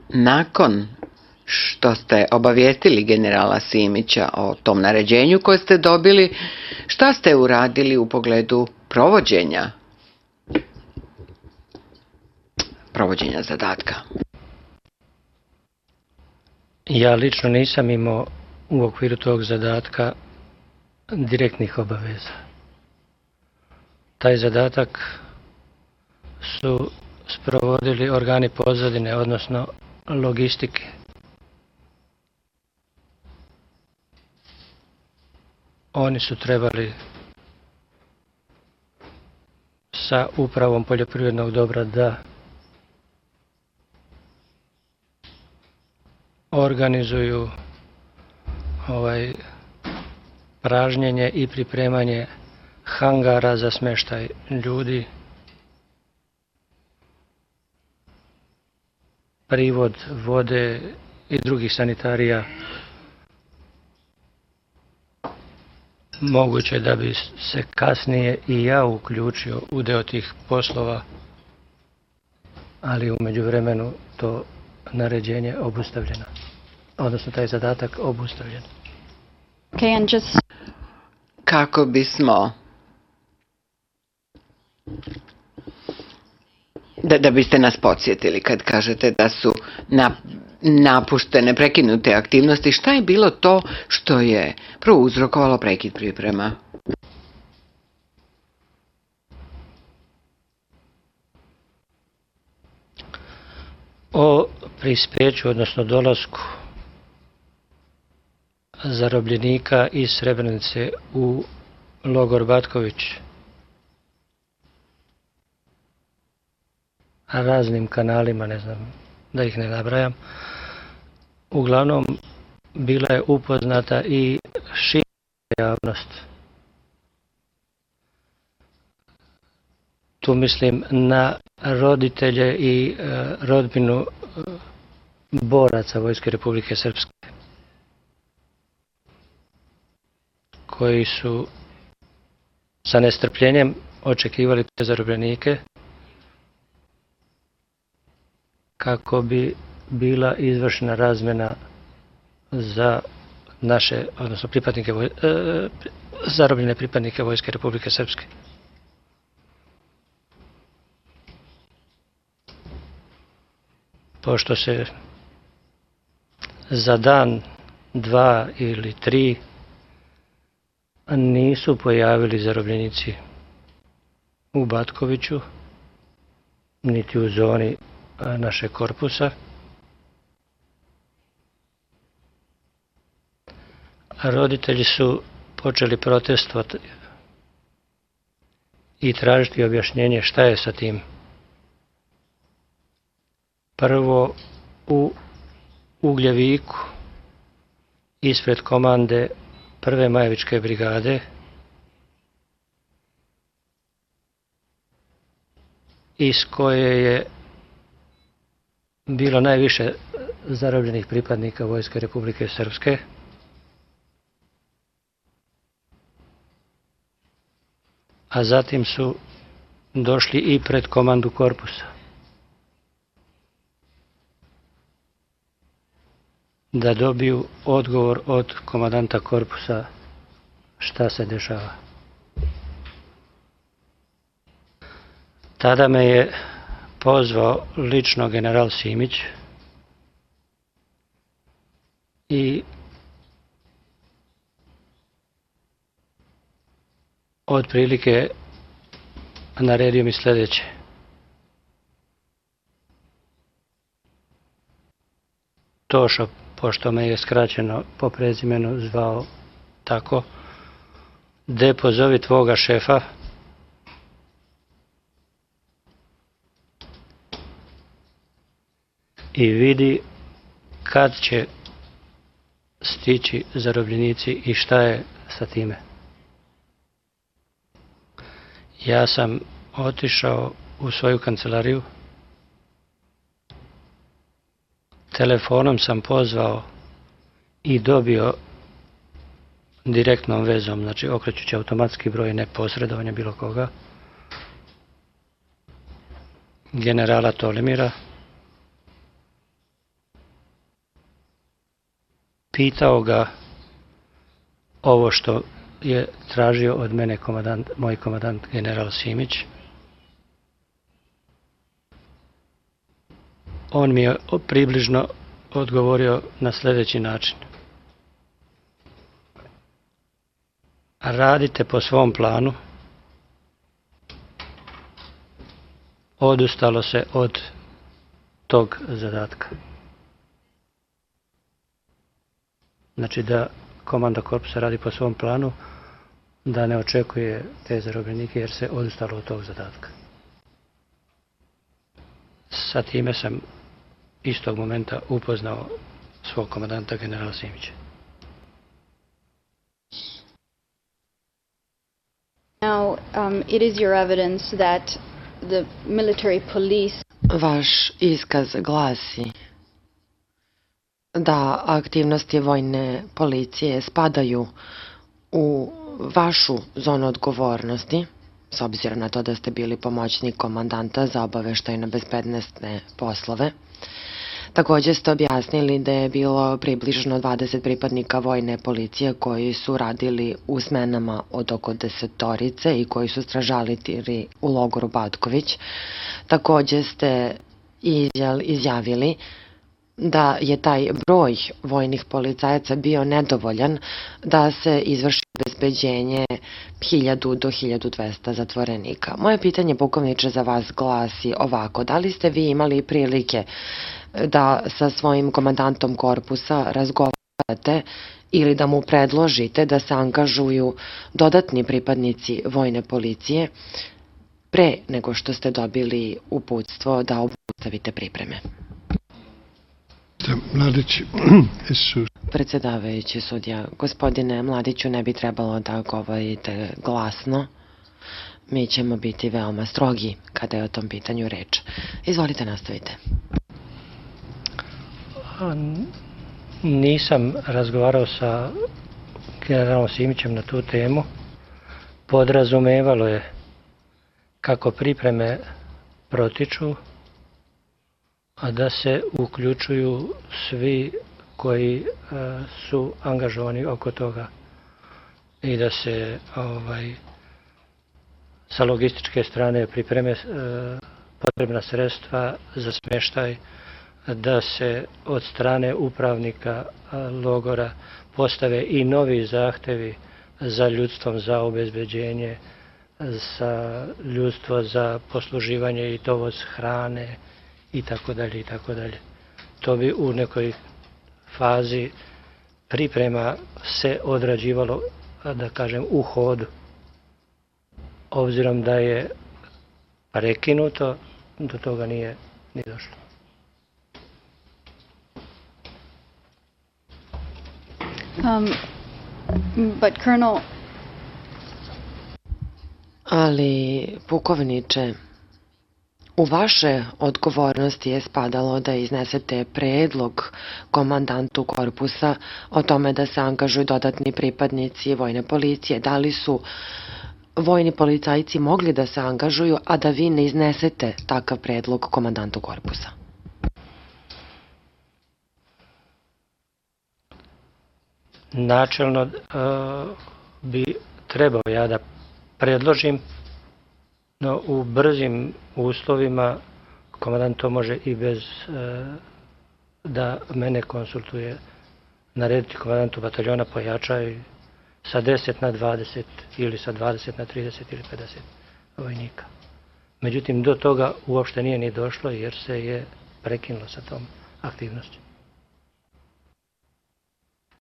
Nakon što ste obavijestili generala Simića o tom naređenju koje ste dobili, šta ste uradili u pogledu provođenja zadatka? Ja lično nisam imao u okviru tog zadatka direktnih obaveza. Taj zadatak su sprovodili organi pozadine, odnosno logistike. Oni su trebali sa upravom poljoprivrednog dobra da organizuju pražnjenje i pripremanje hangara za smještaj ljudi, privod vode i drugih sanitarija. Moguće da bi se kasnije i ja uključio u deo tih poslova, ali u međuvremenu to naređenje obustavljeno, odnosno taj zadatak obustavljen. Kako bismo, da biste nas podsjetili kad kažete da su napuštene, prekinute aktivnosti, šta je bilo to što je prouzrokovalo prekid priprema? O prispeću, odnosno dolasku zarobljenika iz Srebrenice u logor Batković raznim kanalima, ne znam da ih ne nabrajam, uglavnom bila je upoznata i šira javnost. Tu mislim na roditelje i rodbinu boraca Vojske Republike Srpske, koji su sa nestrpljenjem očekivali te zarobljenike kako bi bila izvršena razmjena za naše, odnosno zarobljene pripadnike Vojske Republike Srpske. Pošto se za dan, 2 ili 3 nisu pojavili zarobljenici u Batkoviću, niti u zoni našeg korpusa, roditelji su počeli protestovati i tražiti objašnjenje šta je sa tim. Prvo u Ugljeviku, ispred komande 1. Majevičke brigade, iz koje je bilo najviše zarobljenih pripadnika Vojske Republike Srpske, a zatim su došli i pred komandu korpusa da dobiju odgovor od komandanta korpusa šta se dešava. Tada me je pozvao lično general Simić i otprilike naredio mi sljedeće. Tošo, pošto me je skraćeno po prezimenu zvao tako, de pozovi tvoga šefa i vidi kad će stići zarobljenici i šta je sa time. Ja sam otišao u svoju kancelariju, telefonom sam pozvao i dobio direktnom vezom, znači okrećući automatski broj, ne posredovanja bilo koga, generala Tolimira, pitao ga ovo što je tražio od mene moj komandant general Simić. On mi je približno odgovorio na sljedeći način. Radite po svom planu. Odustalo se od tog zadatka. Znači da komanda korpusa radi po svom planu, da ne očekuje te zarobljenike jer se odustalo od tog zadatka. Sa time sam istog momenta upoznao svog komandanta generala Simića. Now, it is your evidence that the military police. Vaš iskaz glasi da aktivnosti vojne policije spadaju u vašu zonu odgovornosti, s obzirom na to da ste bili pomoćnik komandanta za obaveštajno bezbednosne poslove. Također ste objasnili da je bilo približno 20 pripadnika vojne policije koji su radili u smenama od oko 10 i koji su stražalitiri u logoru Batković. Također ste izjavili da je taj broj vojnih policajaca bio nedovoljan da se izvrši obezbeđenje 1000 do 1200 zatvorenika. Moje pitanje, pukovniče, za vas glasi ovako: da li ste vi imali prilike da sa svojim komandantom korpusa razgovarate ili da mu predložite da se angažuju dodatni pripadnici vojne policije pre nego što ste dobili uputstvo da obustavite pripreme? Mladić, Predsjedavajući sudija, gospodine Mladiću, ne bi trebalo da govorite glasno. Mi ćemo biti veoma strogi kada je o tom pitanju reč. Izvolite, nastavite. Nisam razgovarao sa generalom Simićem na tu temu. Podrazumevalo je kako pripreme protiču, a da se uključuju svi koji su angažovani oko toga i da se sa logističke strane pripreme potrebna sredstva za smještaj, da se od strane upravnika logora postave i novi zahtevi za ljudstvom, za obezbeđenje, za ljudstvo, za posluživanje i dovoz hrane i tako dalje i tako dalje. To bi u nekoj fazi priprema se odrađivalo, da kažem, u hodu. Obzirom da je prekinuto, do toga nije ni došlo. But Colonel. Ali, pukovniče, u vaše odgovornosti je spadalo da iznesete predlog komandantu korpusa o tome da se angažuju dodatni pripadnici vojne policije. Da li su vojni policajci mogli da se angažuju, a da vi ne iznesete takav predlog komandantu korpusa? Načelno bi trebao ja da predložim, no u brzim uslovima komandant to može i bez da mene konsultuje, narediti komandantu bataljona pojača i sa 10 na 20 ili sa 20 na 30 ili 50 vojnika. Međutim, do toga uopšte nije ni došlo jer se je prekinulo sa tom aktivnošću.